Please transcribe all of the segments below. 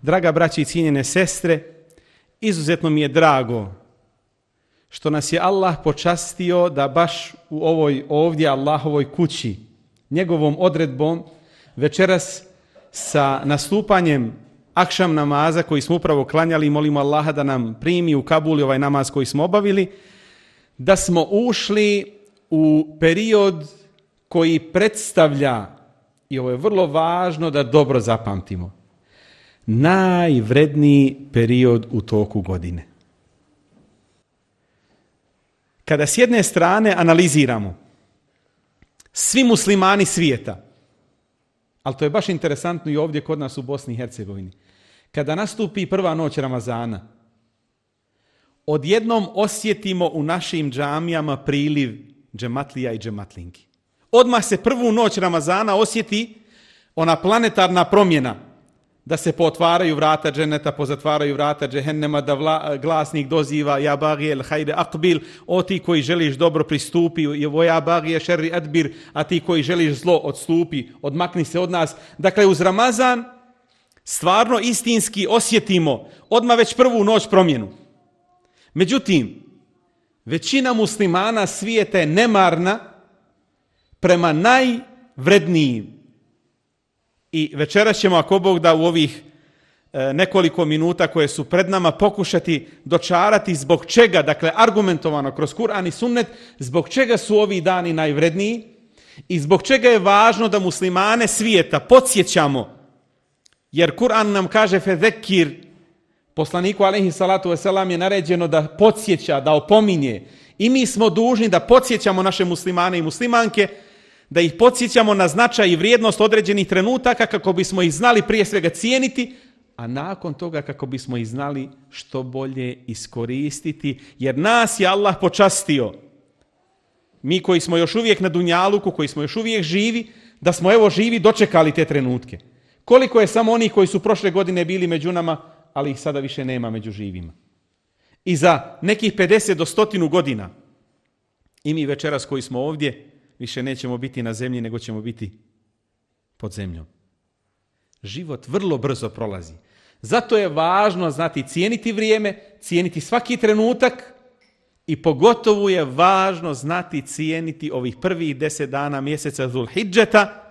Draga braće i cijenjene sestre, izuzetno mi je drago što nas je Allah počastio da baš u ovoj ovdje Allahovoj kući, njegovom odredbom, večeras sa nastupanjem akšam namaza koji smo upravo klanjali i molimo Allaha da nam primi u Kabuli ovaj namaz koji smo obavili, da smo ušli u period koji predstavlja, i ovo je vrlo važno da dobro zapamtimo, najvredniji period u toku godine. Kada s jedne strane analiziramo svi muslimani svijeta, ali to je baš interesantno i ovdje kod nas u Bosni i Hercegovini, kada nastupi prva noć Ramazana, odjednom osjetimo u našim džamijama priliv džematlija i džematlinki. Odmah se prvu noć Ramazana osjeti ona planetarna promjena, da se potvaraju vrata dženeta, pozatvaraju vrata džehennema, da glasnik doziva ja bagijel hajde akbil, o ti koji želiš dobro pristupi, ja bagije šerri adbir, a ti koji želiš zlo odstupi, odmakni se od nas. Dakle, uz Ramazan stvarno istinski osjetimo odmah već prvu noć promjenu. Međutim, većina muslimana svijeta je nemarna prema najvrednijim. I večeras ćemo, ako Bog da, u ovih nekoliko minuta koje su pred nama pokušati dočarati zbog čega, dakle argumentovano kroz Kur'an i sunnet, zbog čega su ovi dani najvredniji i zbog čega je važno da muslimane svijeta podsjećamo, jer Kur'an nam kaže fezekir, poslaniku alejhi salatu vesselam je naređeno da podsjeća, da opominje, i mi smo dužni da podsjećamo naše muslimane i muslimanke, da ih podsjećamo na značaj i vrijednost određenih trenutaka kako bismo ih znali prije svega cijeniti, a nakon toga kako bismo ih znali što bolje iskoristiti, jer nas je Allah počastio. Mi koji smo još uvijek na dunjaluku, koji smo još uvijek živi, da smo evo živi dočekali te trenutke. Koliko je samo onih koji su prošle godine bili među nama, ali ih sada više nema među živima. I za nekih 50 do 100 godina i mi večeras koji smo ovdje više nećemo biti na zemlji, nego ćemo biti pod zemljom. Život vrlo brzo prolazi. Zato je važno znati cijeniti vrijeme, cijeniti svaki trenutak i pogotovo je važno znati cijeniti ovih prvih 10 dana mjeseca Zulhidžeta,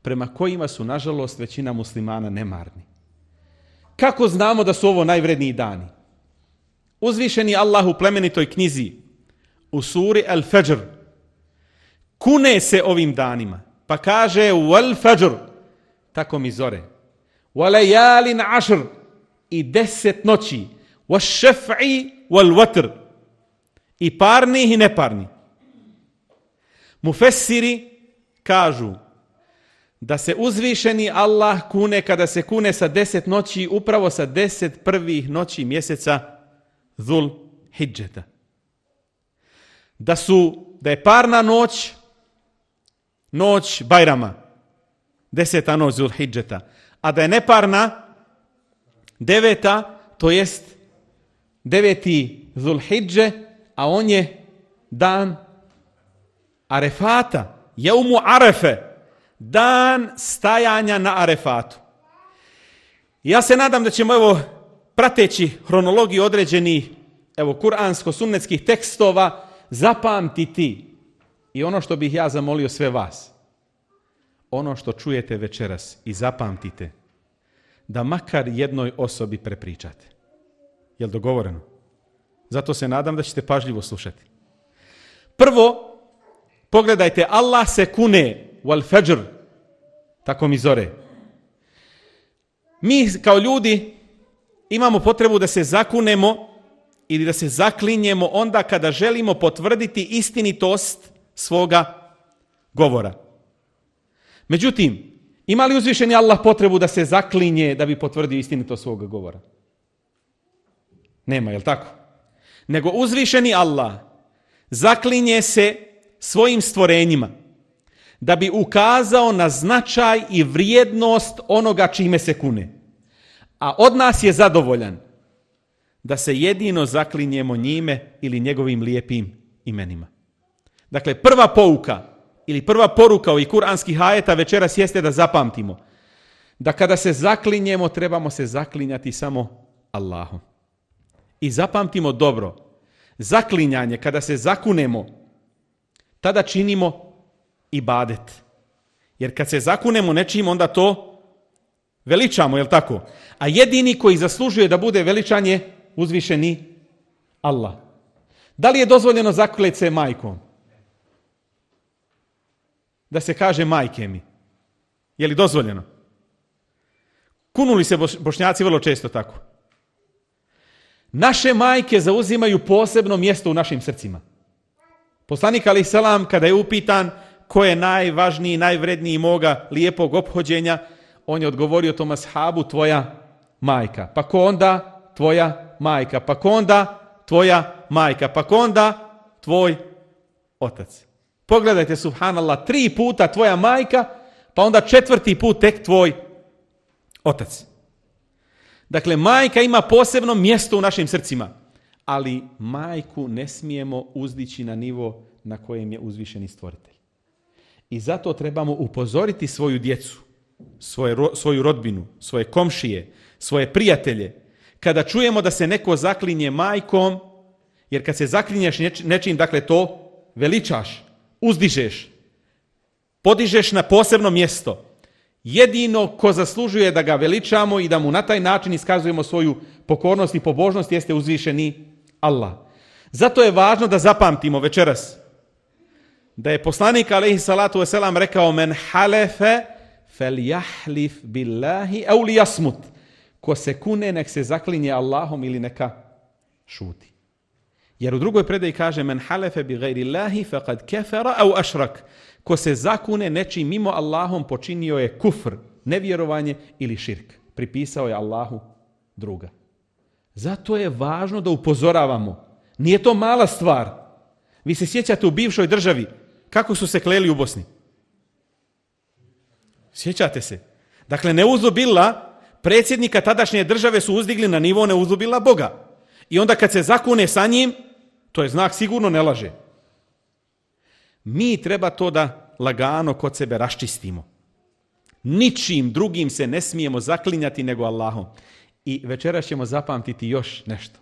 prema kojima su, nažalost, većina muslimana nemarni. Kako znamo da su ovo najvredniji dani? Uzvišeni Allah u plemenitoj knjizi, u suri Al-Fajr, kune se ovim danima, pa kaže wal fajr, tako mi zore, wa layalin ashr, i 10 noći, wa šef'i wal watr, i parnih i neparnih. Mufessiri kažu da se uzvišeni Allah kune kada se kune sa 10 noći, upravo sa 10 prvih noći mjeseca Dhul Hidžeta. Da je parna noć, noć Bajrama, 10. noć Dhul Hidžeta, a da je neparna 9. to jest 9. Dhul Hidže, a on je dan Arefata, Jeumu Arefe, dan stajanja na Arefatu. Ja se nadam da ćemo, evo, prateći hronologiju određenih, evo, kuransko-sunnetskih tekstova, zapamtiti i ono što bih ja zamolio sve vas, ono što čujete večeras i zapamtite, da makar jednoj osobi prepričate. Jel dogovoreno? Zato se nadam da ćete pažljivo slušati. Prvo, pogledajte, Allah se kune wal fajr, tako mi zore. Mi kao ljudi imamo potrebu da se zakunemo ili da se zaklinjemo onda kada želimo potvrditi istinitost svoga govora. Međutim, ima li uzvišeni Allah potrebu da se zaklinje da bi potvrdio istinitost svoga govora? Nema, je li tako? Nego uzvišeni Allah zaklinje se svojim stvorenjima da bi ukazao na značaj i vrijednost onoga čime se kune. A od nas je zadovoljan da se jedino zaklinjemo njime ili njegovim lijepim imenima. Dakle, prva pouka ili prva poruka ovih kuranskih ajeta večeras jeste da zapamtimo da kada se zaklinjemo, trebamo se zaklinjati samo Allahom. I zapamtimo dobro, zaklinjanje, kada se zakunemo, tada činimo ibadet. Jer kad se zakunemo nečim, onda to veličamo, jel tako? A jedini koji zaslužuje da bude veličan je uzvišeni Allah. Da li je dozvoljeno zaklet se majkom? Da se kaže majke mi. Je li dozvoljeno? Kunuli se Bošnjaci vrlo često tako. Naše majke zauzimaju posebno mjesto u našim srcima. Poslanik alejhi selam kada je upitan ko je najvažniji, najvredniji moga lijepog ophođenja, on je odgovorio tom ashabu, tvoja majka. Pa ko onda? Tvoja majka. Pa ko onda? Tvoja majka. Pa ko onda? Tvoj otac. Pogledajte, subhanallah, 3 puta tvoja majka, pa onda 4. put tek tvoj otac. Dakle, majka ima posebno mjesto u našim srcima, ali majku ne smijemo uzdići na nivo na kojem je uzvišeni stvoritelj. I zato trebamo upozoriti svoju djecu, svoju rodbinu, svoje komšije, svoje prijatelje, kada čujemo da se neko zaklinje majkom, jer kad se zaklinješ nečim, dakle to veličaš, uzdižeš, podižeš na posebno mjesto. Jedino ko zaslužuje da ga veličamo i da mu na taj način iskazujemo svoju pokornost i pobožnost jeste uzvišeni Allah. Zato je važno da zapamtimo večeras da je poslanik alejhi salatu vesselam rekao men halefe feljahlif billahi au liyasmut. Ko se kune nek se zaklinje Allahom ili neka šuti. Jer u drugoj predaji kaže men halefe bi gajri Allahi faqad kafara au ašrak. Ko se zakune nečim mimo Allahom počinio je kufr, nevjerovanje ili širk. Pripisao je Allahu druga. Zato je važno da upozoravamo. Nije to mala stvar. Vi se sjećate u bivšoj državi kako su se kleli u Bosni? Sjećate se? Dakle, neuzubila, predsjednika tadašnje države su uzdigli na nivo neuzubila Boga. I onda kad se zakune sa njim, to je znak sigurno ne laže. Mi treba to da lagano kod sebe raščistimo. Ničim drugim se ne smijemo zaklinjati nego Allahom. I večeras ćemo zapamtiti još nešto.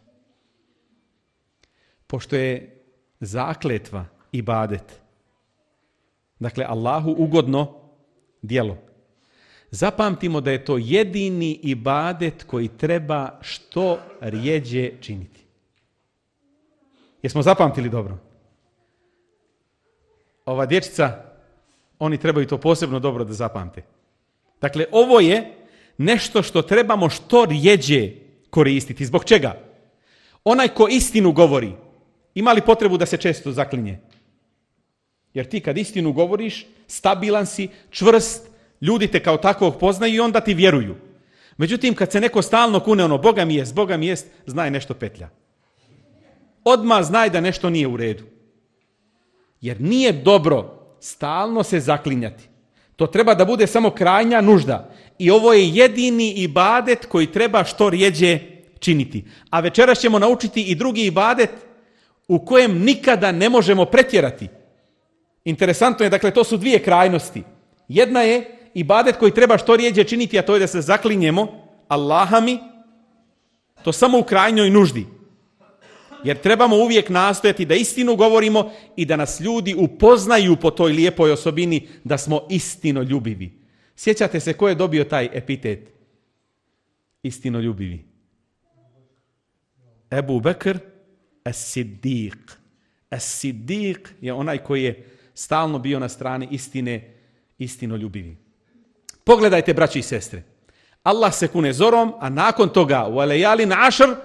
Pošto je zakletva ibadet, dakle Allahu ugodno djelo, zapamtimo da je to jedini ibadet koji treba što rjeđe činiti. Jesmo zapamtili dobro? Ova dječica, oni trebaju to posebno dobro da zapamte. Dakle, ovo je nešto što trebamo što rjeđe koristiti. Zbog čega? Onaj ko istinu govori, ima li potrebu da se često zaklinje? Jer ti kad istinu govoriš, stabilan si, čvrst, ljudi te kao takvog poznaju i onda ti vjeruju. Međutim, kad se neko stalno kune ono, Boga mi jest, znaj nešto petlja. Odmah znaj da nešto nije u redu. Jer nije dobro stalno se zaklinjati. To treba da bude samo krajnja nužda. I ovo je jedini ibadet koji treba što rjeđe činiti. A večeras ćemo naučiti i drugi ibadet u kojem nikada ne možemo pretjerati. Interesantno je, dakle, to su dvije krajnosti. Jedna je ibadet koji treba što rjeđe činiti, a to je da se zaklinjemo Allahami, to samo u krajnjoj nuždi. Jer trebamo uvijek nastojati da istinu govorimo i da nas ljudi upoznaju po toj lijepoj osobini da smo istinoljubivi. Sjećate se ko je dobio taj epitet? Istinoljubivi. Ebu Bekr as-Siddiq. As-Siddiq je onaj koji je stalno bio na strani istine, istinoljubivi. Pogledajte, braći i sestre. Allah se kune zorom, a nakon toga u alejali na ašr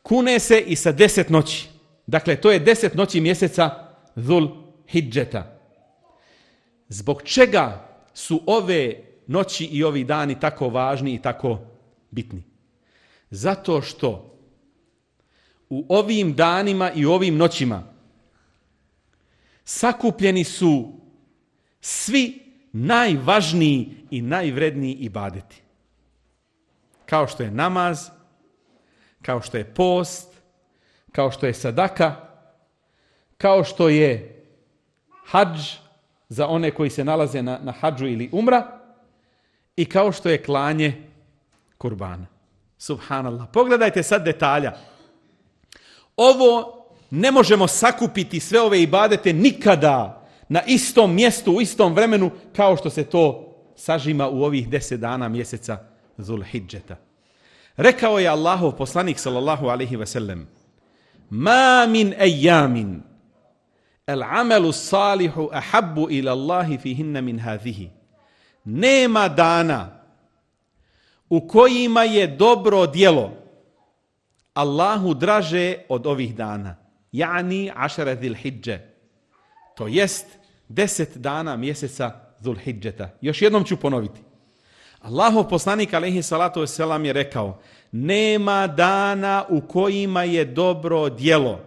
kune se i sa 10 noći. Dakle, to je 10 noći mjeseca Dhul Hidžeta. Zbog čega su ove noći i ovi dani tako važni i tako bitni? Zato što u ovim danima i ovim noćima sakupljeni su svi najvažniji i najvredniji ibadeti. Kao što je namaz, kao što je post, kao što je sadaka, kao što je hadž za one koji se nalaze na hadžu ili umra i kao što je klanje kurbana. Subhanallah. Pogledajte sad detalja. Ovo ne možemo sakupiti sve ove ibadete nikada na istom mjestu, u istom vremenu, kao što se to sažima u ovih 10 dana mjeseca Zulhidžeta. Rekao je Allahov poslanik sallallahu alejhi ve sellem: "Ma min ayamin al-amalu salihu ahabbu ila Allahi fihinna min hadhihi." Nema dana u kojima je dobro djelo Allahu draže od ovih dana. Yani ašara Zulhidže. To jest 10 dana mjeseca Zulhidžeta. Još jednom ću ponoviti. Allahov poslanik alejhi salatu vesselam je rekao: nema dana u kojima je dobro djelo.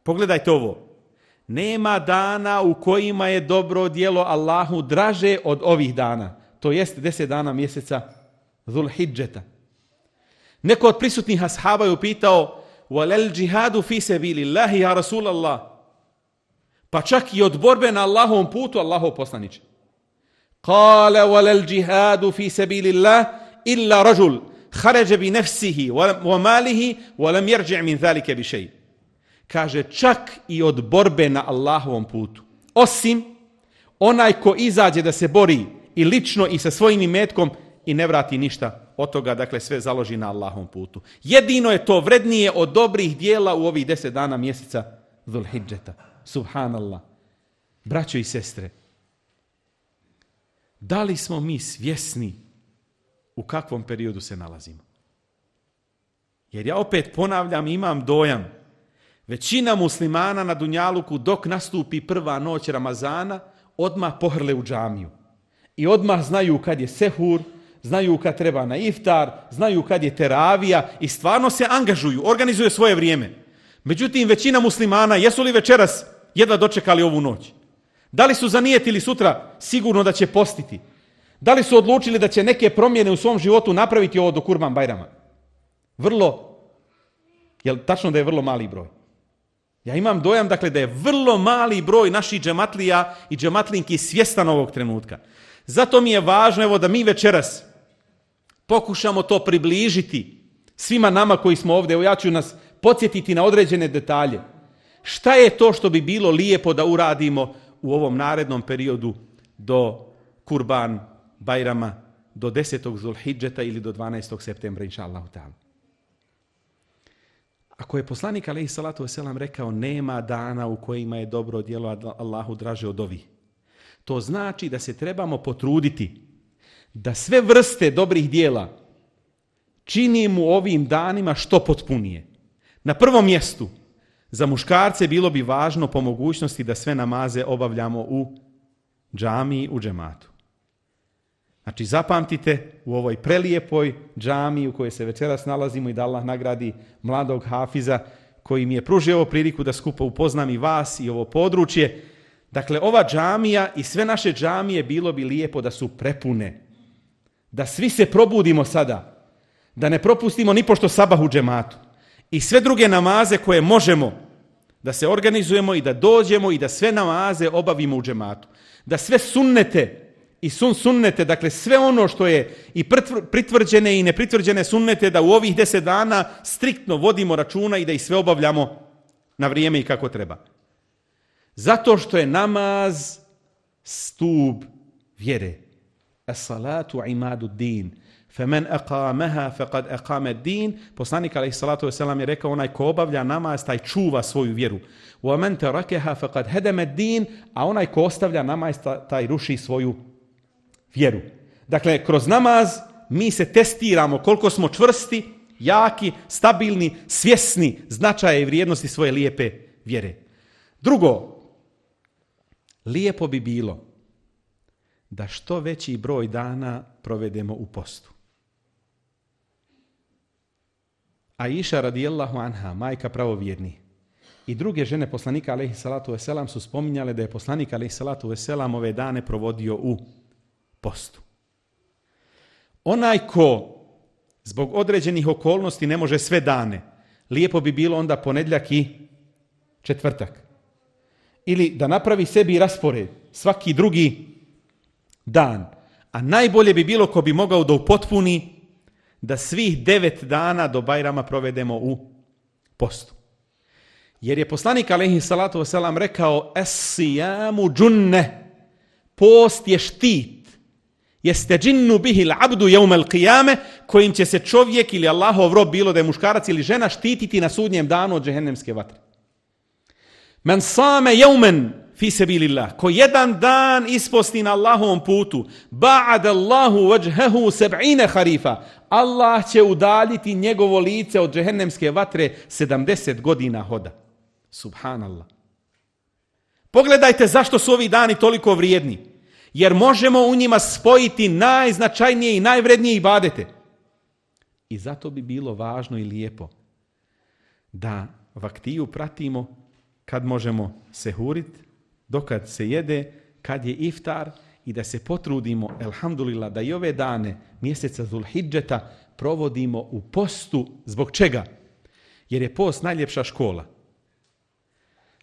Pogledajte ovo. Nema dana u kojima je dobro djelo Allahu draže od ovih dana. To jest 10 dana mjeseca Zulhidžeta. Neko od prisutnih ashaba je upitao: "Walal džihadu fi sabilillahi ya Rasulallah?" Pa čak i od borbe na Allahovom putu, Allahov poslaniče. Kale: "Walal džihadu fi sabilillah illa rajul kharaja bi nafsihi wa malihi wa lam yarji' min zalika bi shay." Kaže, čak i od borbe na Allahovom putu, osim onaj ko izađe da se bori i lično i sa svojim imetkom i ne vrati ništa od toga, dakle sve založi na Allahovom putu. Jedino je to vrednije od dobrih dijela u ovih 10 dana mjeseca Zulhidžeta. Subhanallah. Braćo i sestre, da li smo mi svjesni u kakvom periodu se nalazimo? Jer ja opet ponavljam, imam dojam, većina muslimana na Dunjaluku dok nastupi prva noć Ramazana odmah pohrle u džamiju. I odmah znaju kad je sehur, znaju kad treba na iftar, znaju kad je teravija i stvarno se angažuju, organizuju svoje vrijeme. Međutim, većina muslimana, jesu li večeras jedva dočekali ovu noć? Da li su zanijetili sutra sigurno da će postiti? Da li su odlučili da će neke promjene u svom životu napraviti ovo do Kurban Bajrama? Jel tačno da je vrlo mali broj? Ja imam dojam, dakle, da je vrlo mali broj naših džematlija i džematlinki svjestan ovog trenutka. Zato mi je važno, evo, da mi večeras pokušamo to približiti svima nama koji smo ovdje. Evo, ja ću nas podsjetiti na određene detalje. Šta je to što bi bilo lijepo da uradimo u ovom narednom periodu do Kurban Bajrama, do 10. Zulhidžeta ili do 12. septembra, inša Allahu ta'ala. Ako je poslanik alejhi salatu vesselam rekao nema dana u kojima je dobro djelo Allahu draže od ovih, to znači da se trebamo potruditi da sve vrste dobrih djela činimo u ovim danima što potpunije. Na prvom mjestu, za muškarce bilo bi važno po mogućnosti da sve namaze obavljamo u džamiji, u džematu. Znači, zapamtite, u ovoj prelijepoj džamiji u kojoj se večeras nalazimo i da Allah nagradi mladog hafiza koji mi je pružio ovu priliku da skupo upoznam i vas i ovo područje. Dakle, ova džamija i sve naše džamije bilo bi lijepo da su prepune. Da svi se probudimo sada. Da ne propustimo ni pošto sabah u džematu. I sve druge namaze koje možemo da se organizujemo i da dođemo i da sve namaze obavimo u džematu. Da sve sunnete i sunnete, dakle sve ono što je i pritvrđene i nepritvrđene sunnete, da u ovih 10 dana striktno vodimo računa i da ih sve obavljamo na vrijeme i kako treba. Zato što je namaz stup vjere. As-salatu imadu din. Femen aqamaha faqad aqama ad-din. Poslanik alejhi salatu vesselam je rekao, onaj ko obavlja namaz taj čuva svoju vjeru. Wa man tarakaha faqad hadama ad-din, a onaj ko ostavlja namaz taj ruši svoju vjeru. Dakle, kroz namaz mi se testiramo koliko smo čvrsti, jaki, stabilni, svjesni značaja i vrijednosti svoje lijepe vjere. Drugo, lijepo bi bilo da što veći broj dana provedemo u postu. Aisha radijallahu anha, majka pravovjerni, i druge žene poslanika alejhi salatu vesselam su spominjale da je poslanik alejhi salatu vesselam ove dane provodio u postu. Onaj ko zbog određenih okolnosti ne može sve dane, lijepo bi bilo onda ponedjeljak i četvrtak. Ili da napravi sebi raspored svaki drugi dan. a najbolje bi bilo ko bi mogao da upotpuni da svih 9 dana do Bajrama provedemo u postu. Jer je poslanik alejhi salatu vesselam rekao es-sijamu džunne, post je štit, jeste džinnu bihi l'abdu jevmel qiyame, kojim će se čovjek ili Allahov rob, bilo da je muškarac ili žena, štititi na sudnjem danu od džehennemske vatre. Men same jevmen fi sebilillah, ko jedan dan isposti na Allahovom putu, ba'ad Allahu wajhahu 70 harifa, Allah će udaljiti njegovo lice od džehennemske vatre 70 godina hoda. Subhanallah. Pogledajte zašto su ovi dani toliko vrijedni. Jer možemo u njima spojiti najznačajnije i najvrednije ibadete. I zato bi bilo važno i lijepo da vaktiju pratimo kad možemo sehurit, dokad se jede, kad je iftar i da se potrudimo, elhamdulillah, da i ove dane mjeseca Zulhidžeta provodimo u postu. Zbog čega? Jer je post najljepša škola.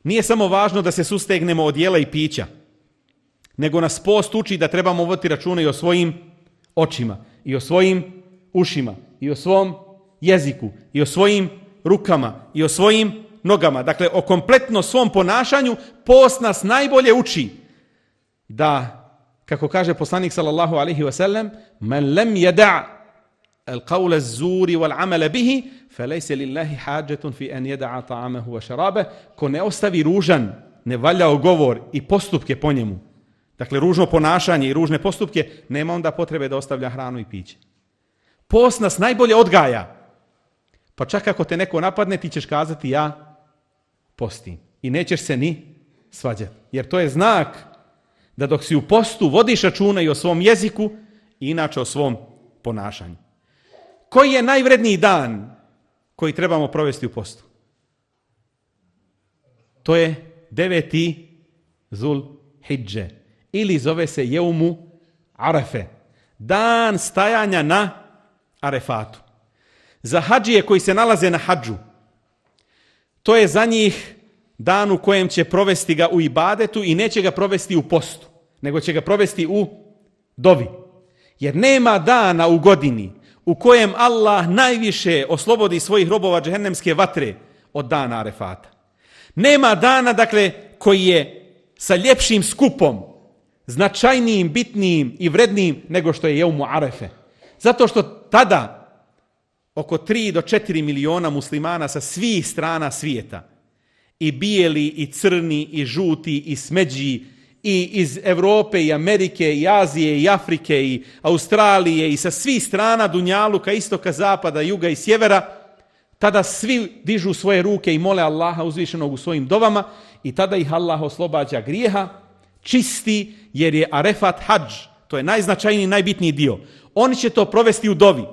Nije samo važno da se sustegnemo od jela i pića, nego nas post uči da trebamo voditi računa i o svojim očima, i o svojim ušima, i o svom jeziku, i o svojim rukama, i o svojim nogama. Dakle, o kompletno svom ponašanju post nas najbolje uči da, kako kaže poslanik sallallahu alaihi wa sallam, men lem yada' al-qawla az-zuri wal-amala bihi, felejse lillahi hađetun fi en jeda'a ta'amahu wa šarabe, ko ne ostavi ružan, nevaljao govor i postupke po njemu, dakle ružno ponašanje i ružne postupke, nema onda potrebe da ostavlja hranu i piće. Post nas najbolje odgaja. Pa čak ako te neko napadne, ti ćeš kazati ja postim. I nećeš se ni svađati. Jer to je znak da dok si u postu vodiš računa i o svom jeziku i inače o svom ponašanju. Koji je najvredniji dan koji trebamo provesti u postu? To je 9. Zulhidže. Ili zove se Jeumu Arefe. Dan stajanja na Arefatu. Za hadžije koji se nalaze na hadžu, to je za njih dan u kojem će provesti ga u ibadetu i neće ga provesti u postu, nego će ga provesti u dovi. Jer nema dana u godini u kojem Allah najviše oslobodi svojih robova džehennemske vatre od dana Arefata. Nema dana, dakle, koji je sa ljepšim skupom, značajnijim, bitnijim i vrednijim nego što je Jeumu Arefe. Zato što tada oko 3 do 4 miliona muslimana sa svih strana svijeta, i bijeli, i crni, i žuti, i smeđi, i iz Europe, i Amerike, i Azije, i Afrike, i Australije, i sa svih strana dunjaluka, istoka, zapada, juga i sjevera, tada svi dižu svoje ruke i mole Allaha uzvišenog u svojim dovama i tada ih Allah oslobađa grijeha, čisti, jer je Arefat hadž, to je najznačajniji, najbitniji dio. Oni će to provesti u dovi,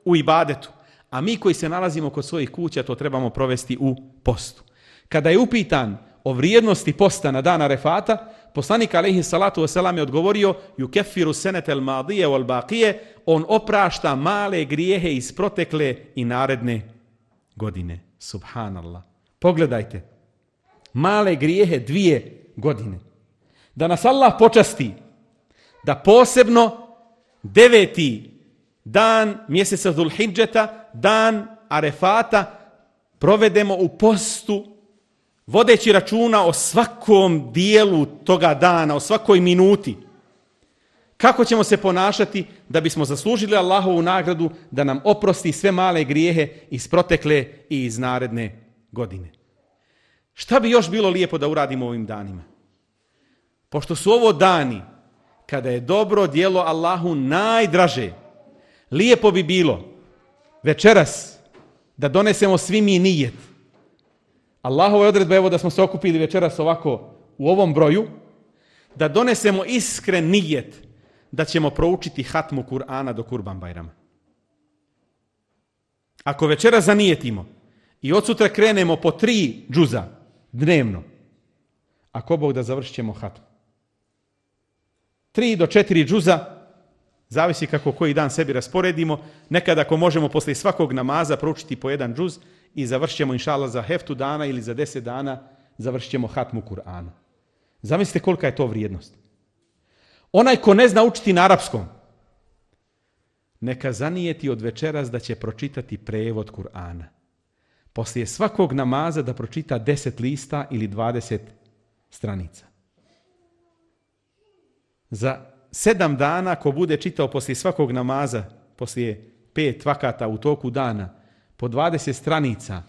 u ibadetu, a mi koji se nalazimo kod svojih kuća to trebamo provesti u postu. Kada je upitan o vrijednosti posta na dan Arefata, poslanik alejhi salatu vesselam je odgovorio yukeffiru senetel madije wal baqije, on oprašta male grijehe iz protekle i naredne godine. Subhanallah. Pogledajte, male grijehe 2 godine. Da nas Allah počasti da posebno 9. dan mjeseca Zulhidžeta, dan Arefata, provedemo u postu, vodeći računa o svakom dijelu toga dana, o svakoj minuti. Kako ćemo se ponašati da bismo zaslužili Allahovu nagradu da nam oprosti sve male grijehe iz protekle i iz naredne godine. Šta bi još bilo lijepo da uradimo ovim danima? Pošto su ovo dani kada je dobro djelo Allahu najdraže, lijepo bi bilo večeras da donesemo svi mi nijet. Allahova je odredba, evo da smo se okupili večeras ovako u ovom broju, da donesemo iskren nijet da ćemo proučiti hatmu Kur'ana do Kurban Bajrama. Ako večeras zanijetimo i od sutra krenemo po 3 džuza dnevno, ako Bog da završit ćemo hatmu. 3 do 4 džuza, zavisi kako koji dan sebi rasporedimo. Nekada ako možemo posle svakog namaza proučiti po 1 džuz i završit ćemo inšallah za heftu dana ili za 10 dana završit ćemo hatmu Kur'ana. Zamislite kolika je to vrijednost. Onaj ko ne zna učiti na arapskom, neka zanijeti od večeras da će pročitati prevod Kur'ana. Poslije svakog namaza da pročita 10 lista ili 20 stranica. Za 7 dana ko bude čitao poslije svakog namaza, poslije 5 vakata u toku dana, po 20 stranica,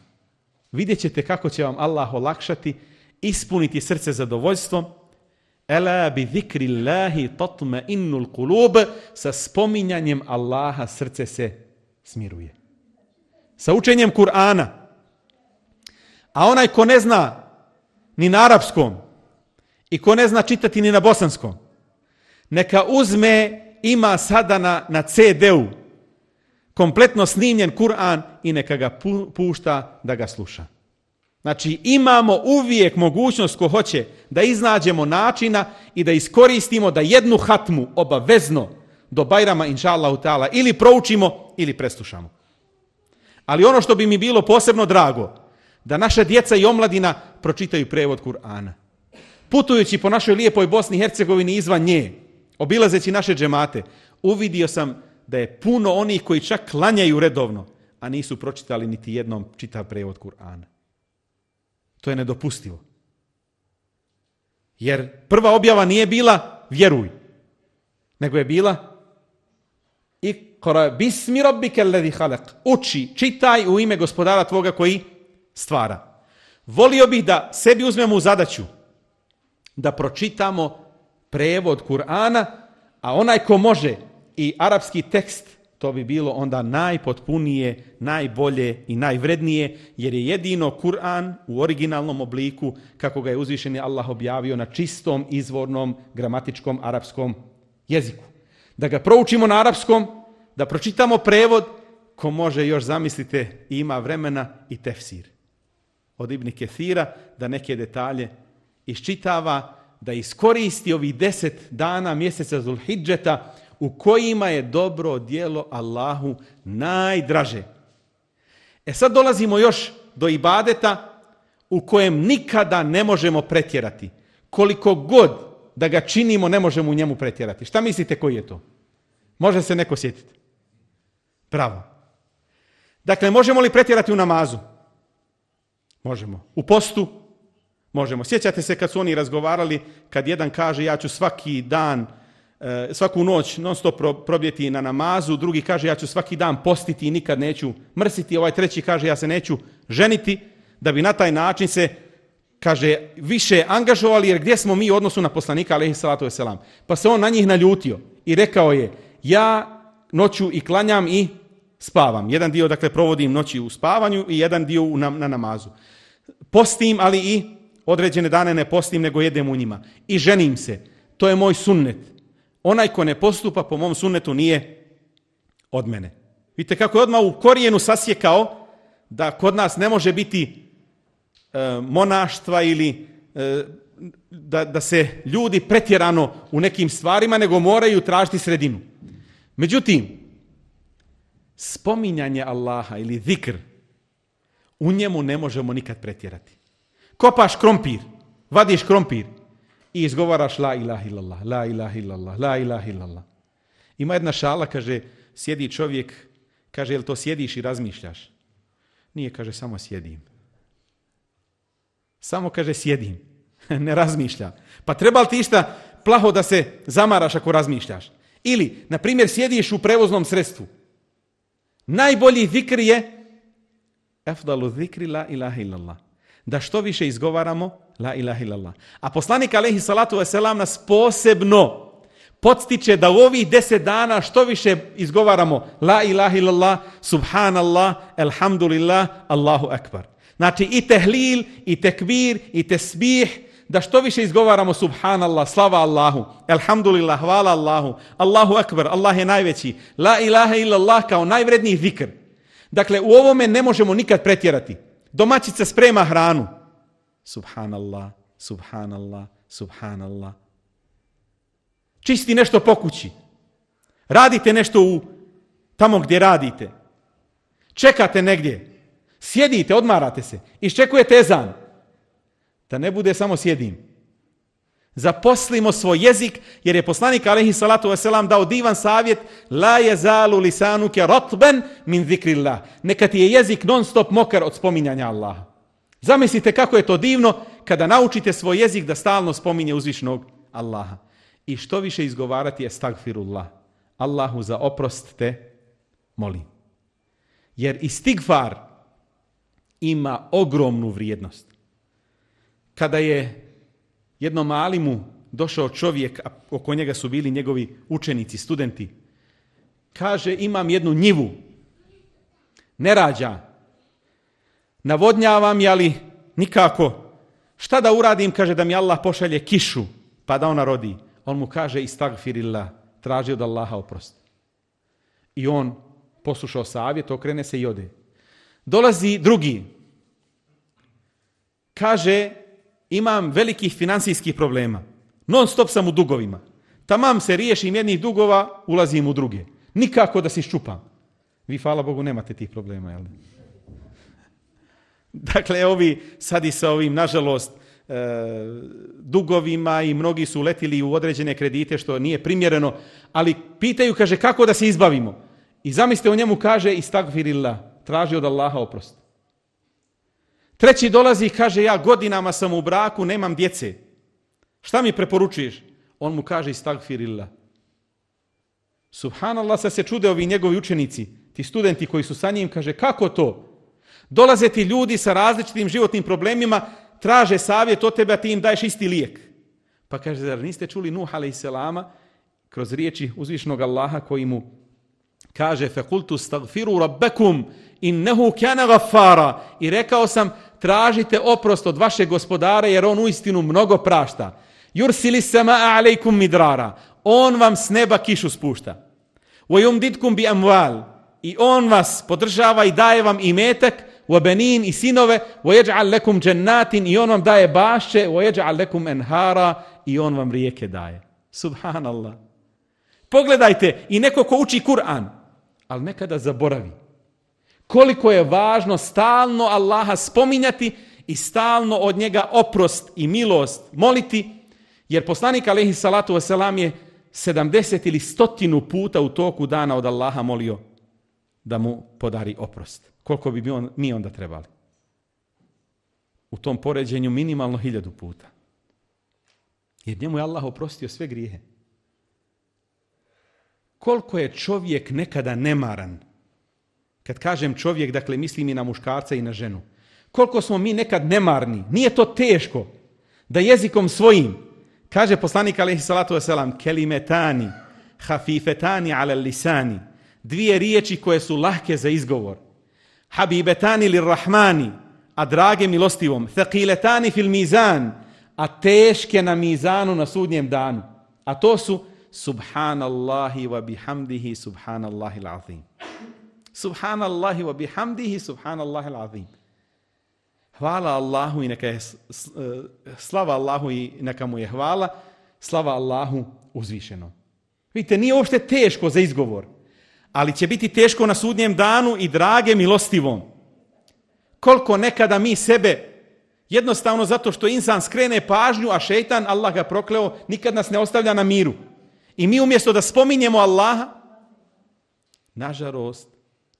vidjet ćete kako će vam Allah olakšati, ispuniti srce zadovoljstvom. Ela bi zikri Allahi tatma innul kulub, sa spominjanjem Allaha srce se smiruje. Sa učenjem Kur'ana. A onaj ko ne zna ni na arapskom i ko ne zna čitati ni na bosanskom, neka uzme, ima sada na CD-u kompletno snimljen Kur'an i neka ga pušta da ga sluša. Znači imamo uvijek mogućnost ko hoće da iznađemo načina i da iskoristimo da jednu hatmu obavezno do Bajrama inša Allahu ta'ala ili proučimo ili preslušamo. Ali ono što bi mi bilo posebno drago, da naša djeca i omladina pročitaju prevod Kur'ana. Putujući po našoj lijepoj Bosni i Hercegovini izvan nje, obilazeći naše džemate, uvidio sam da je puno onih koji čak klanjaju redovno, a nisu pročitali niti jednom čitav prevod Kur'ana. To je nedopustivo. Jer prva objava nije bila vjeruj, nego je bila Iqra bismi rabbika alladhi khalaq. Uči, čitaj u ime gospodara tvoga koji stvara. Volio bih da sebi uzmemo u zadaću da pročitamo prevod Kur'ana, a onaj ko može i arapski tekst, to bi bilo onda najpotpunije, najbolje i najvrednije, jer je jedino Kur'an u originalnom obliku, kako ga je uzvišeni Allah objavio, na čistom, izvornom, gramatičkom arapskom jeziku. Da ga proučimo na arapskom, da pročitamo prevod, ko može još, zamislite, ima vremena i tefsir. Od Ibn Kethira da neke detalje iščitava, da iskoristi ovih 10 dana mjeseca Zulhidžeta u kojima je dobro djelo Allahu najdraže. Sad dolazimo još do ibadeta u kojem nikada ne možemo pretjerati. Koliko god da ga činimo, ne možemo u njemu pretjerati. Šta mislite koji je to? Može se neko sjetiti? Bravo. Dakle, možemo li pretjerati u namazu? Možemo. U postu? Možemo. Sjećate se kad su oni razgovarali, kad jedan kaže ja ću svaki dan, svaku noć non stop probjeti na namazu, drugi kaže ja ću svaki dan postiti i nikad neću mrsiti, ovaj treći kaže ja se neću ženiti, da bi na taj način se, kaže, više angažovali, jer gdje smo mi u odnosu na poslanika alejhi salatu vesselam. Pa se on na njih naljutio i rekao je, ja noću i klanjam i spavam. Jedan dio, dakle, provodim noći u spavanju i jedan dio na namazu. Postim, ali i određene dane ne postim, nego jedem u njima. I ženim se. To je moj sunnet. Onaj ko ne postupa po mom sunnetu nije od mene. Vidite kako je odmah u korijenu sasjekao da kod nas ne može biti monaštva ili da se ljudi pretjerano u nekim stvarima, nego moraju tražiti sredinu. Međutim, spominjanje Allaha ili zikr, u njemu ne možemo nikad pretjerati. Kopaš krompir, vadiš krompir i izgovaraš la ilaha illallah, la ilaha illallah, la ilaha illallah. Ima jedna šala, kaže, sjedi čovjek, kaže, jel to sjediš i razmišljaš? Nije, kaže, samo sjedim. Samo, kaže, sjedim, ne razmišljam. Pa treba li ti išta plaho da se zamaraš ako razmišljaš? Ili, na primjer, sjediš u prevoznom sredstvu. Najbolji zikr je afdalu zikri la ilaha illallah. Da što više izgovaramo la ilaha illallah. A poslanik alejhi salatu vesselam nas posebno podstiče da u ovih 10 dana što više izgovaramo la ilaha illallah, subhanallah, elhamdulillah, Allahu akbar. Znači i tehlil, i tekbir, i tesbih, da što više izgovaramo subhanallah, slava Allahu, elhamdulillah, hvala Allahu, Allahu akbar, Allah je najveći, la ilaha illallah kao najvredniji zikr. Dakle, u ovome ne možemo nikad pretjerati. Domaćica sprema hranu. Subhanallah, subhanallah, subhanallah. Čisti nešto po kući. Radite nešto tamo gdje radite. Čekate negdje. Sjedite, odmarate se. Iščekujete ezan. Da ne bude samo sjedim. Zaposlimo svoj jezik, jer je poslanik alejhi salatu vesselam dao divan savjet: la yazalu lisanuka ratban min zikrillah. Neka ti je jezik non stop mokar od spominjanja Allaha. Zamislite kako je to divno kada naučite svoj jezik da stalno spominje uzvišnog Allaha. I što više izgovarati estagfirullah. Allahu za oprost te molim. Jer istigfar ima ogromnu vrijednost. Kada je jednom alimu došao čovjek, a oko njega su bili njegovi učenici, studenti, kaže: imam jednu njivu, ne rađa, navodnjavam je, ali nikako. Šta da uradim, kaže, da mi Allah pošalje kišu, pa da ona rodi. On mu kaže: istagfirillah, traži od Allaha oprost. I on poslušao savjet, okrene se i ode. Dolazi drugi, kaže: imam velikih financijskih problema, non stop sam u dugovima. Tamam se riješim jednih dugova, ulazim u druge. Nikako da se iščupam. Vi, hvala Bogu, nemate tih problema, jel? Dakle, ovi sad i sa ovim, nažalost, dugovima, i mnogi su uletili u određene kredite, što nije primjereno, ali pitaju, kaže, kako da se izbavimo? I zamislite, o njemu kaže: istagfirillah, traži od Allaha oprost. Treći dolazi i kaže: ja godinama sam u braku, nemam djece. Šta mi preporučuješ? On mu kaže: istagfirillah. Subhanallah, sad se čude ovi njegovi učenici, ti studenti koji su sa njim, kaže: kako to? Dolaze ti ljudi sa različitim životnim problemima, traže savjet od tebe, a ti im daješ isti lijek. Pa kaže: zar niste čuli Nuh alejselama kroz riječi uzvišnog Allaha koji mu kaže: fekultu stagfiru rabbekum innehu kana ghaffara. I rekao sam: tražite oprost od vašeg gospodara, jer on uistinu mnogo prašta. Yursilis samaa alejkum midrara. On vam s neba kišu spušta. Wa yumditkum bi amwal. I on vas podržava i daje vam imetak, wa banin, i sinove, wa yaj'al lakum jannatin, i on vam daje bašće, wa yaj'al lakum anhara, i on vam rijeke daje. Subhanallah. Pogledajte, i neko ko uči Kur'an, ali nekada zaboravi koliko je važno stalno Allaha spominjati i stalno od njega oprost i milost moliti, jer poslanik alejhi salatu vesselam je 70 ili 100 puta u toku dana od Allaha molio da mu podari oprost. Koliko bi mi onda trebali? U tom poređenju minimalno 1000 puta. Jer njemu je Allah oprostio sve grijehe. Koliko je čovjek nekada nemaran. Kad kažem čovjek, dakle mislim i na muškarca i na ženu. Koliko smo mi nekad nemarni. Nije to teško da jezikom svojim, kaže poslanik alejhi salatu vesselam: kelimetani hafifetani ala lisani. Dvije riječi koje su lahke za izgovor. Habibetani lirrahmani, a drage milostivom. Thaqiletani fil mizan, a teške na mizanu na sudnjem danu. A to su subhanallahi wa bihamdihi subhanallahi l'azim. Subhanallahi wa bihamdihi subhanallahi l'azim. Hvala Allahu i neka je slava Allahu i neka mu je hvala, slava Allahu uzvišeno. Vidite, nije uopšte teško za izgovor, ali će biti teško na sudnjem danu i drage milostivom. Koliko nekada mi sebe, jednostavno zato što insan skrene pažnju, a šejtan, Allah ga prokleo, nikad nas ne ostavlja na miru. I mi umjesto da spominjemo Allaha,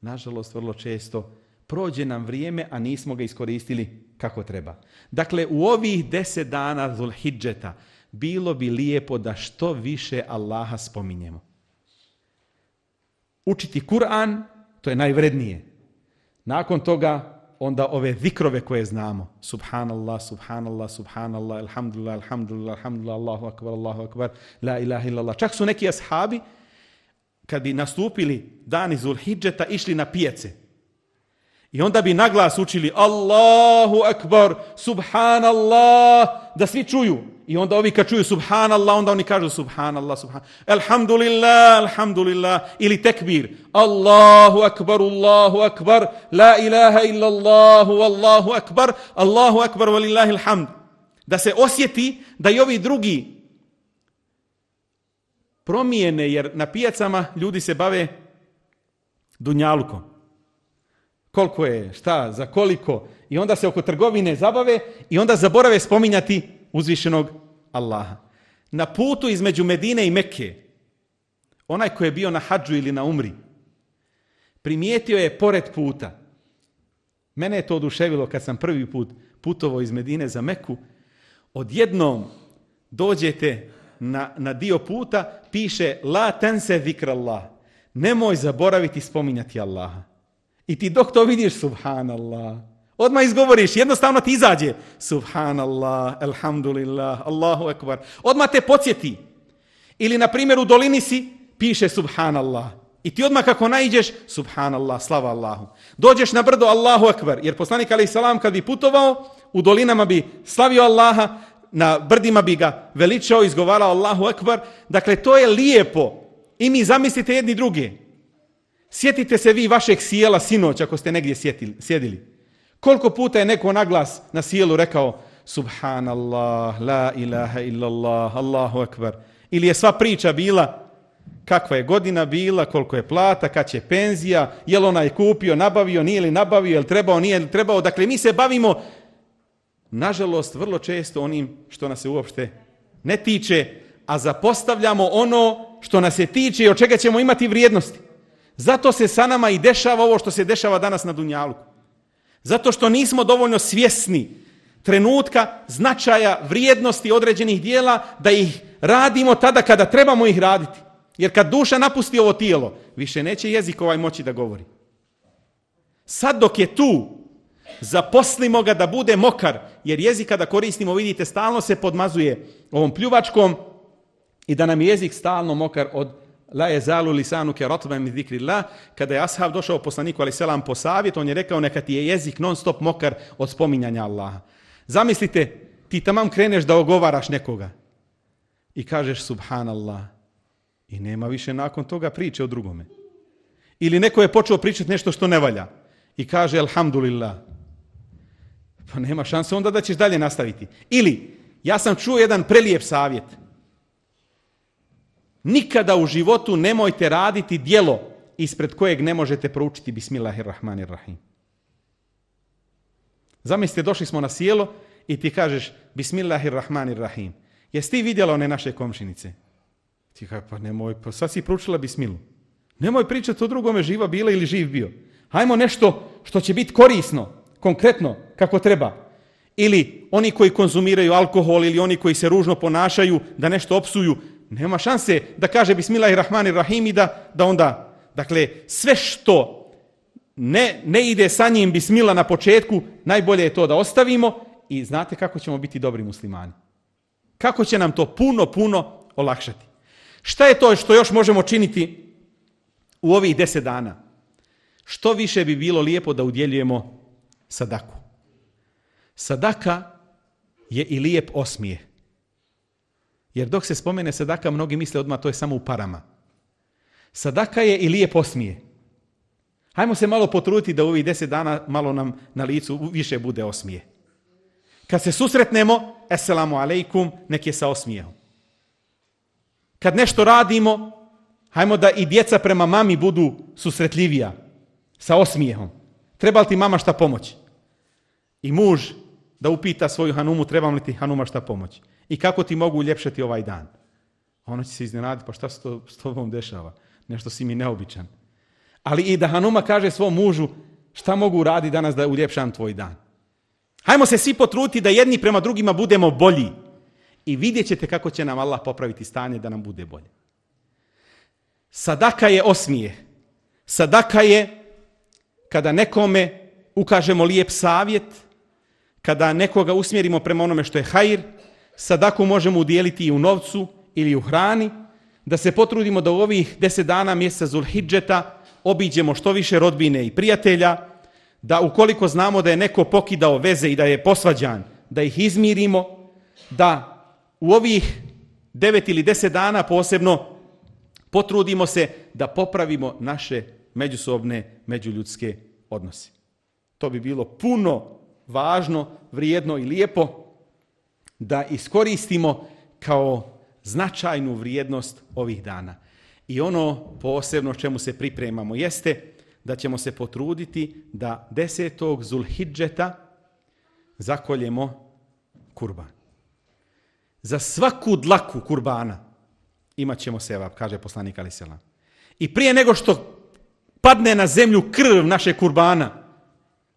nažalost vrlo često prođe nam vrijeme, a nismo ga iskoristili kako treba. Dakle, u ovih 10 dana Zulhidžeta bilo bi lijepo da što više Allaha spominjemo. Učiti Kur'an, to je najvrednije. Nakon toga onda ove zikrove koje znamo. Subhanallah, subhanallah, subhanallah, alhamdulillah, alhamdulillah, alhamdulillah, Allahu akbar, la ilaha illallah. Čak su neki ashabi, kad bi nastupili dani Zulhidžeta, išli na pijace. I onda bi naglas učili Allahu akbar, subhanallah, da svi čuju. I onda ovi kad čuju subhanallah, onda oni kažu subhanallah, subhanallah, alhamdulillah, alhamdulillah, ili tekbir, Allahu akbar, la ilaha illallahu, Allahu akbar, valillahi alhamd. Da se osjeti da i ovi drugi promijene, jer na pijacama ljudi se bave dunjalukom. Koliko je, šta, za koliko. I onda se oko trgovine zabave i onda zaborave spominjati uzvišenog Allaha. na putu između Medine i Mekke, onaj koji je bio na hadžu ili na umri, primijetio je pored puta. Mene je to oduševilo kad sam prvi put putovao iz Medine za Meku. Odjednom dođete na dio puta, piše la tense zikrallah, nemoj zaboraviti spominjati Allaha. I ti dok to vidiš, subhanallah, odmah izgovoriš, jednostavno ti izađe subhanallah, alhamdulillah, Allahu ekbar, odmah te podsjeti. Ili na primjer u dolini si, piše subhanallah. I ti odmah kako naiđeš, subhanallah, slava Allahu. Dođeš na brdo, Allahu ekbar, jer poslanik alejhi selam kad bi putovao, u dolinama bi slavio Allaha, na brdima bi ga veličao, izgovarao Allahu ekbar. Dakle, to je lijepo. I mi zamislite jedni druge. Sjetite se vi vašeg sjela sinoć ako ste negdje sjedili. Koliko puta je neko naglas na sjelu rekao subhanallah, la ilaha illallah, Allahu ekbar. Ili je sva priča bila kakva je godina bila, koliko je plata, kad će penzija, je li onaj kupio, nabavio, nije li nabavio, je li trebao, nije li trebao. Dakle, mi se bavimo, nažalost, vrlo često onim što nas se uopšte ne tiče, a zapostavljamo ono što nas se tiče i od čega ćemo imati vrijednosti. Zato se sa nama i dešava ovo što se dešava danas na Dunjaluku. Zato što nismo dovoljno svjesni trenutka, značaja, vrijednosti određenih dijela, da ih radimo tada kada trebamo ih raditi. Jer kad duša napusti ovo tijelo, više neće jezik ovaj moći da govori. Sad dok je tu, zaposlimo ga da bude mokar, jer jezik kada koristimo, vidite, stalno se podmazuje ovom pljuvačkom i da nam je jezik stalno mokar od la yezalu lisanuke ratban min zikrillah. Kada je ashab došao poslaniku alejhi selam po savjet, on je rekao neka ti je jezik non stop mokar od spominjanja Allaha. Zamislite, ti tamam kreneš da ogovaraš nekoga i kažeš subhanallah i nema više nakon toga priče o drugome. Ili neko je počeo pričati nešto što ne valja i kaže alhamdulillah. Pa nema šanse onda da ćeš dalje nastaviti. Ili, ja sam čuo jedan prelijep savjet. Nikada u životu nemojte raditi djelo ispred kojeg ne možete proučiti Bismillahirrahmanirrahim. Zamislite, došli smo na sjelo i ti kažeš Bismillahirrahmanirrahim. Jesi ti vidjela one naše komšinice? Ti kaže, pa nemoj, pa sad si proučila Bismilu. Nemoj pričati o drugome, živa bila ili živ bio. Hajmo nešto što će biti korisno, konkretno, kako treba. Ili oni koji konzumiraju alkohol ili oni koji se ružno ponašaju, da nešto opsuju. Nema šanse da kaže Bismillahirrahmanirrahim i da onda, dakle, sve što ne ide sa njim Bismillah na početku, najbolje je to da ostavimo i znate kako ćemo biti dobri muslimani. Kako će nam to puno olakšati. Šta je to što još možemo činiti u ovih 10 dana? Što više bi bilo lijepo da udjeljujemo sadaku. Sadaka je i lijep osmijeh. Jer dok se spomene sadaka, mnogi misle odmah to je samo u parama. Sadaka je i lijep osmijeh. Hajmo se malo potruditi da u ovih 10 dana malo nam na licu više bude osmijeh. Kad se susretnemo, assalamu alaikum, nek je sa osmijehom. Kad nešto radimo, hajmo da i djeca prema mami budu susretljivija, sa osmijehom. Treba li ti mama šta pomoći? I muž da upita svoju hanumu, treba li ti hanuma šta pomoći? I kako ti mogu uljepšati ovaj dan? Ona će se iznenaditi, pa šta se to s tobom dešava? Nešto si mi neobičan. Ali i da hanuma kaže svom mužu, šta mogu raditi danas da uljepšam tvoj dan? Hajmo se svi potruditi da jedni prema drugima budemo bolji. I vidjet ćete kako će nam Allah popraviti stanje da nam bude bolje. Sadaka je osmijeh. Sadaka je kada nekome ukažemo lijep savjet, kada nekoga usmjerimo prema onome što je hajr. Sadaku možemo udijeliti i u novcu ili u hrani, da se potrudimo da u ovih 10 dana mjeseca Zulhidžeta obiđemo što više rodbine i prijatelja, da ukoliko znamo da je neko pokidao veze i da je posvađan, da ih izmirimo, da u ovih 9 ili 10 dana posebno potrudimo se da popravimo naše međusobne, međuljudske odnose. To bi bilo puno važno, vrijedno i lijepo da iskoristimo kao značajnu vrijednost ovih dana. I ono posebno čemu se pripremamo jeste da ćemo se potruditi da 10. Zulhidžeta zakoljemo kurban. za svaku dlaku kurbana imat ćemo sevap, kaže poslanik alejhi selam. I prije nego što padne na zemlju krv naše kurbana,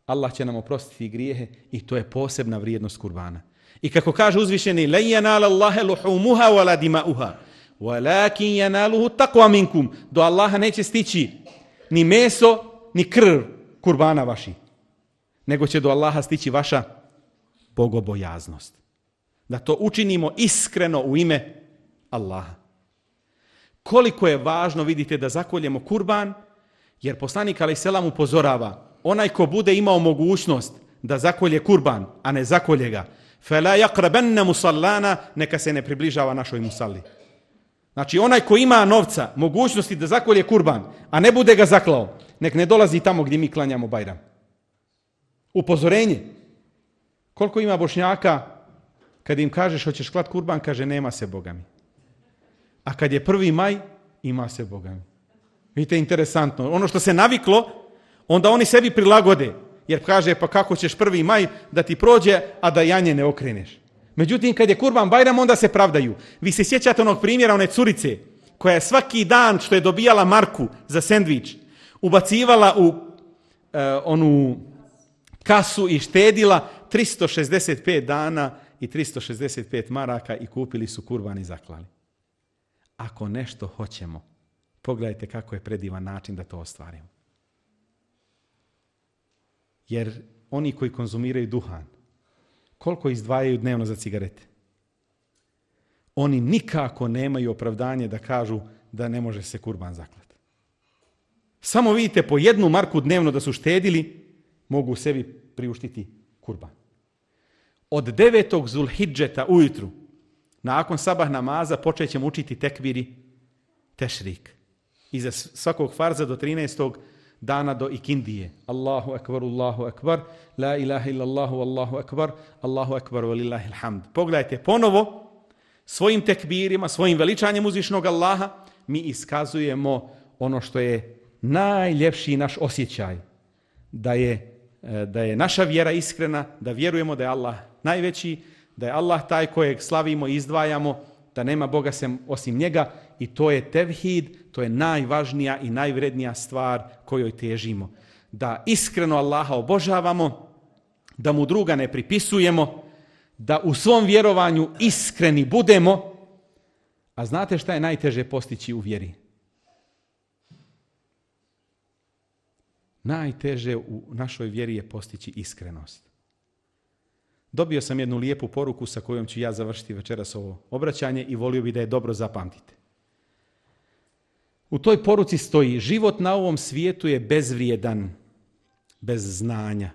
Allah će nam oprostiti grijehe i to je posebna vrijednost kurbana. I kako kaže uzvišeni, la yanala Allaha luhumuha wala dima'uha, walakin yanaluhu taqwa minkum. Do Allaha neće stići ni meso, ni krv kurbana vaši, nego će do Allaha stići vaša bogobojaznost. Da to učinimo iskreno u ime Allaha. Koliko je važno, vidite, da zakoljemo kurban, jer poslanik alejhi selam upozorava, onaj ko bude imao mogućnost da zakolje kurban, a ne zakolje ga, fala yaqrabanna musallana, neka se ne približava našoj musalli. Znači, onaj ko ima novca, mogućnosti da zakolje kurban, a ne bude ga zaklao, nek ne dolazi tamo gdje mi klanjamo Bajram. Upozorenje. Koliko ima Bošnjaka, kad im kažeš hoćeš klat kurban, kaže nema se Boga mi. A kad je 1. maj, ima se Boga mi. Vidite, interesantno. Ono što se naviklo, onda oni sebi prilagode. Jer kaže, pa kako ćeš 1. maj da ti prođe, a da janje ne okreneš. Međutim, kad je Kurban Bajram, onda se pravdaju. Vi se sjećate onog primjera one curice, koja je svaki dan što je dobijala marku za sendvič, ubacivala u onu kasu i štedila 365 dana i 365 maraka i kupili su kurban i zaklali. Ako nešto hoćemo, pogledajte kako je predivan način da to ostvarimo. Jer oni koji konzumiraju duhan, koliko izdvajaju dnevno za cigarete? Oni nikako nemaju opravdanje da kažu da ne može se kurban zaklati. Samo vidite, po 1 marku dnevno da su štedili, mogu sebi priuštiti kurban. Od 9. Zulhidžeta ujutru, nakon sabah namaza, počet ćemo učiti tekbiri tešrik. Iza svakog farza do 13. dana do ikindije. Allahu akbar, la ilaha illallahu, Allahu akbar, walillahi alhamd. Pogledajte ponovo, svojim tekbirima, svojim veličanjem uzvišnog Allaha, mi iskazujemo ono što je najljepši naš osjećaj. Da je naša vjera iskrena, da vjerujemo da je Allah najveći, da je Allah taj kojeg slavimo i izdvajamo, da nema Boga osim njega, i to je tevhid, to je najvažnija i najvrednija stvar kojoj težimo. Da iskreno Allaha obožavamo, da mu druga ne pripisujemo, da u svom vjerovanju iskreni budemo. A znate šta je najteže postići u vjeri? Najteže u našoj vjeri je postići iskrenost. Dobio sam jednu lijepu poruku sa kojom ću ja završiti večeras ovo obraćanje i volio bih da je dobro zapamtite. U toj poruci stoji: život na ovom svijetu je bezvrijedan bez znanja.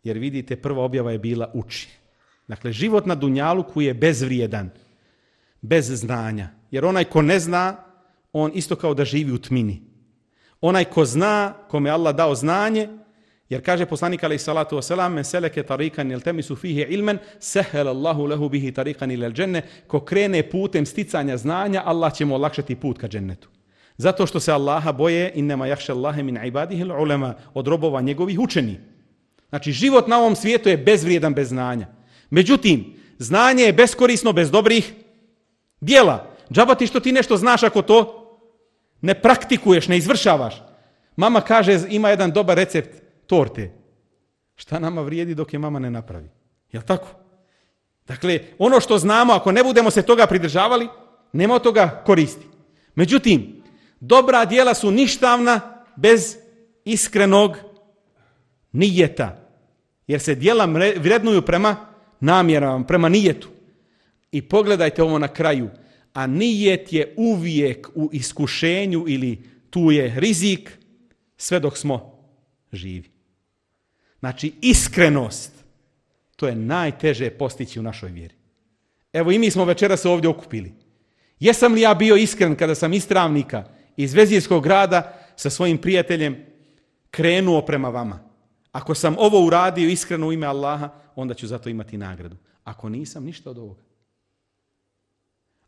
Jer vidite, prva objava je bila uči. Dakle, život na dunjaluku je bezvrijedan bez znanja. Jer onaj ko ne zna, on isto kao da živi u tmini. Onaj ko zna, kome Allah dao znanje, jer kaže poslanik alejhi salatu vesselam: men seleke tariqan yaltamisu fihi ilman sahhala Allahu lahu bihi tariqan ila al-janne. Ko krene putem sticanja znanja, Allah će mu olakšati put ka džennetu. Zato što se Allaha boje, innama yakhsha Allaha min ibadihi al-ulama, od robova njegovih učeni. Znači, život na ovom svijetu je bezvrijedan bez znanja. Međutim, znanje je beskorisno bez dobrih djela. Džaba ti što ti nešto znaš ako to ne praktikuješ, ne izvršavaš. Mama kaže, ima jedan dobar recept torte. Šta nama vrijedi dok je mama ne napravi? Jel' tako? Dakle, ono što znamo, ako ne budemo se toga pridržavali, nema od toga koristi. Međutim, dobra djela su ništavna bez iskrenog nijeta. Jer se djela vrednuju prema namjerama, prema nijetu. I pogledajte ovo na kraju. A nijet je uvijek u iskušenju ili tu je rizik sve dok smo živi. Znači, iskrenost, to je najteže postići u našoj vjeri. Evo i mi smo večeras se ovdje okupili. Jesam li ja bio iskren kada sam iz Travnika, iz Vezirskog grada sa svojim prijateljem krenuo prema vama? Ako sam ovo uradio iskreno u ime Allaha, onda ću zato imati nagradu. Ako nisam, ništa od ovoga.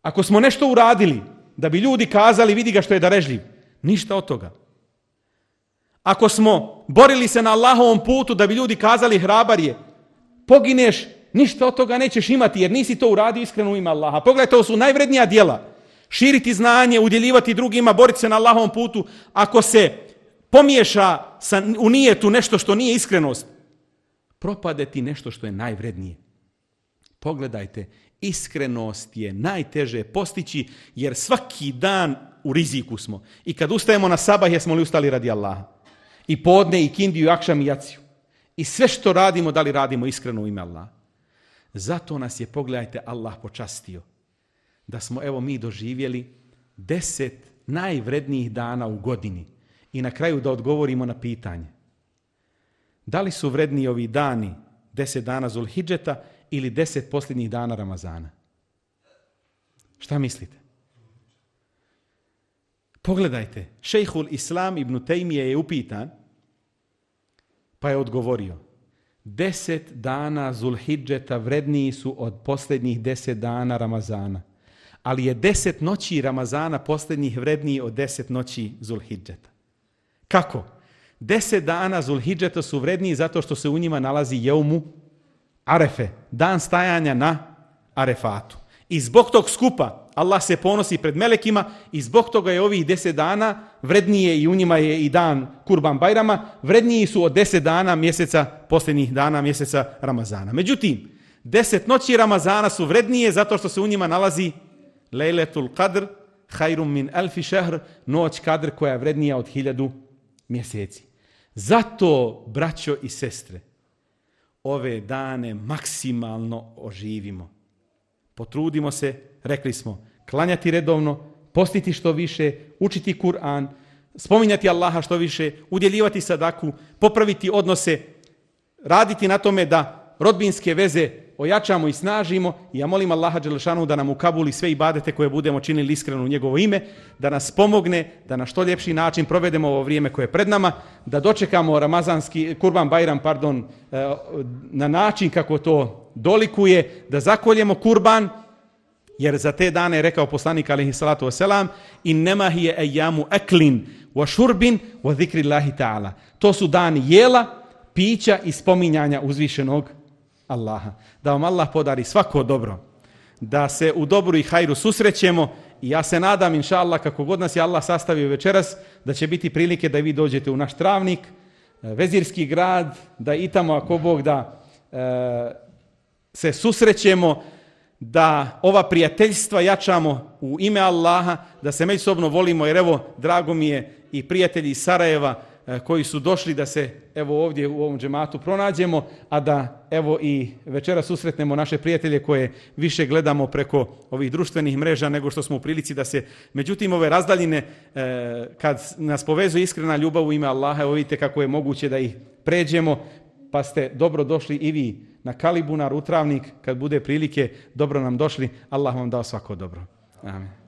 Ako smo nešto uradili da bi ljudi kazali vidi ga što je darežljiv, ništa od toga. Ako smo borili se na Allahovom putu da bi ljudi kazali hrabar je, pogineš ništa od toga nećeš imati jer nisi to uradio iskreno u ime Allaha. Pogledaj, to su najvrednija djela. Širiti znanje, udjeljivati drugima, boriti se na Allahovom putu. Ako se pomiješa u nijetu nešto što nije iskrenost, propade ti nešto što je najvrednije. Pogledajte, iskrenost je najteže postići jer svaki dan u riziku smo. I kad ustajemo na sabah, jesmo li ustali radi Allaha? I podne, i kindiju, i akšam, i jaciju. I sve što radimo, da li radimo iskreno u ime Allaha? Zato nas je, pogledajte, Allah počastio. Da smo, evo, mi doživjeli 10 najvrednijih dana u godini. I na kraju da odgovorimo na pitanje. Da li su vredniji ovi dani 10 dana Zulhidžeta ili 10 posljednjih dana Ramazana? Šta mislite? Pogledajte, šejhul Islam ibn Tejmije je upitan, pa je odgovorio, 10 dana Zulhidžeta vredniji su od posljednjih 10 dana Ramazana, ali je 10 noći Ramazana posljednjih vredniji od 10 noći Zulhidžeta. Kako? 10 dana Zulhidžeta su vredniji zato što se u njima nalazi jeumu Arefe, dan stajanja na Arefatu. I zbog tog skupa Allah se ponosi pred melekima i zbog toga je ovih 10 dana vrednije i u njima je i dan Kurban Bajrama, vredniji su od 10 dana mjeseca, posljednjih dana mjeseca Ramazana. Međutim, 10 noći Ramazana su vrednije zato što se u njima nalazi Lejletul Qadr, hajrum min alfi šehr, noć Kadr koja je vrednija od 1000 mjeseci. Zato, braćo i sestre, ove dane maksimalno oživimo. Potrudimo se, rekli smo, klanjati redovno, postiti što više, učiti Kur'an, spominjati Allaha što više, udjeljivati sadaku, popraviti odnose, raditi na tome da rodbinske veze ojačamo i snažimo. I ja molim Allaha dželešanu da nam ukabuli sve ibadete koje budemo činili iskreno u njegovo ime, da nas pomogne, da na što ljepši način provedemo ovo vrijeme koje je pred nama, da dočekamo ramazanski Kurban Bajram, na način kako to dolikuje, da zakoljemo kurban, jer za te dane je rekao poslanik alejhi salatu vesselam, innema hiya ayyamu aklin wa shurbin wa zikrillahi ta'ala. To su dani jela, pića i spominjanja uzvišenog Allaha. Da vam Allah podari svako dobro, da se u dobru i hajru susrećemo i ja se nadam, inša Allah, kako god nas je Allah sastavio večeras, da će biti prilike da vi dođete u naš Travnik, Vezirski grad, da i tamo, ako Bog da, se susrećemo, da ova prijateljstva jačamo u ime Allaha, da se međusobno volimo, jer evo, drago mi je i prijatelji iz Sarajeva koji su došli da se evo ovdje u ovom džematu pronađemo, a da evo i večera susretnemo naše prijatelje koje više gledamo preko ovih društvenih mreža nego što smo u prilici da se, međutim, ove razdaljine, kad nas povezuje iskrena ljubav u ime Allaha, evo vidite kako je moguće da ih pređemo, pa ste dobro došli i vi na Kalibunar, u Travnik, kad bude prilike, dobro nam došli. Allah vam dao svako dobro. Amin.